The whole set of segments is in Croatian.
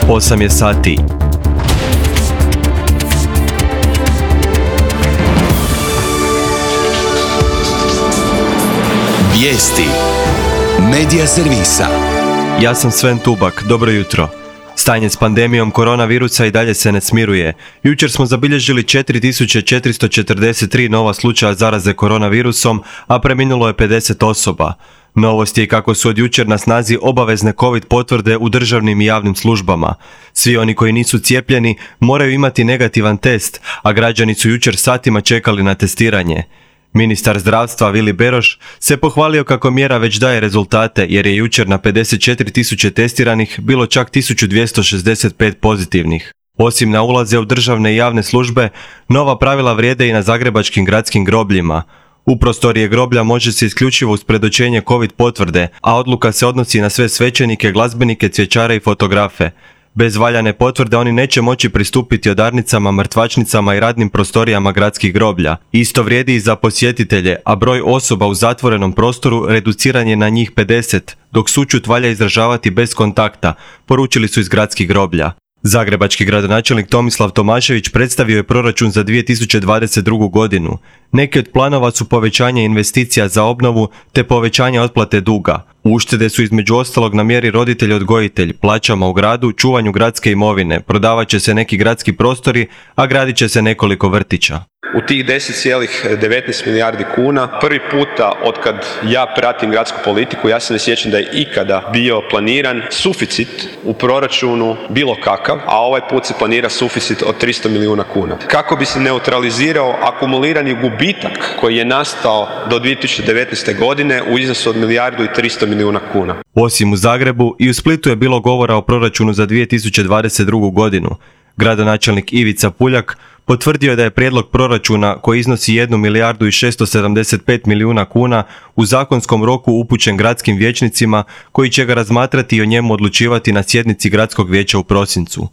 8 je sati. Vijesti Medija servisa. Ja sam Sven Tubak, dobro jutro. Stanje s pandemijom koronavirusa i dalje se ne smiruje. Jučer smo zabilježili 4443 nova slučaja zaraze koronavirusom, a preminulo je 50 osoba. Novost je kako su od jučer na snazi obavezne COVID potvrde u državnim i javnim službama. Svi oni koji nisu cijepljeni moraju imati negativan test, a građani su jučer satima čekali na testiranje. Ministar zdravstva Vili Beroš se pohvalio kako mjera već daje rezultate jer je jučer na 54.000 testiranih bilo čak 1265 pozitivnih. Osim na ulaze u državne i javne službe, nova pravila vrijede i na zagrebačkim gradskim grobljima. U prostorije groblja može se isključivo uz predočenje COVID potvrde, a odluka se odnosi na sve svećenike, glazbenike, cvjećare i fotografe. Bez valjane potvrde oni neće moći pristupiti odarnicama, mrtvačnicama i radnim prostorijama gradskih groblja. Isto vrijedi i za posjetitelje, a broj osoba u zatvorenom prostoru reduciran je na njih 50, dok sućut valja izražavati bez kontakta, poručili su iz gradskih groblja. Zagrebački gradonačelnik Tomislav Tomašević predstavio je proračun za 2022. godinu. Neki od planova su povećanje investicija za obnovu te povećanje otplate duga. Uštede su između ostalog na mjeri roditelj-odgojitelj, plaćama u gradu, čuvanju gradske imovine, prodavat će se neki gradski prostori, a gradit će se nekoliko vrtića. U tih 10,19 milijardi kuna prvi puta otkad ja pratim gradsku politiku, ja se ne sjećam da je ikada bio planiran suficit u proračunu bilo kakav, a ovaj put se planira suficit od 300 milijuna kuna. Kako bi se neutralizirao akumulirani gubitak koji je nastao do 2019. godine u iznosu od 1,3 milijuna kuna. Osim u Zagrebu, i u Splitu je bilo govora o proračunu za 2022. godinu. Gradonačelnik Ivica Puljak potvrdio je da je prijedlog proračuna koji iznosi 1,675 milijuna kuna u zakonskom roku upućen gradskim vijećnicima koji će ga razmatrati i o njemu odlučivati na sjednici gradskog vijeća u prosincu.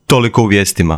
Toliko u vijestima.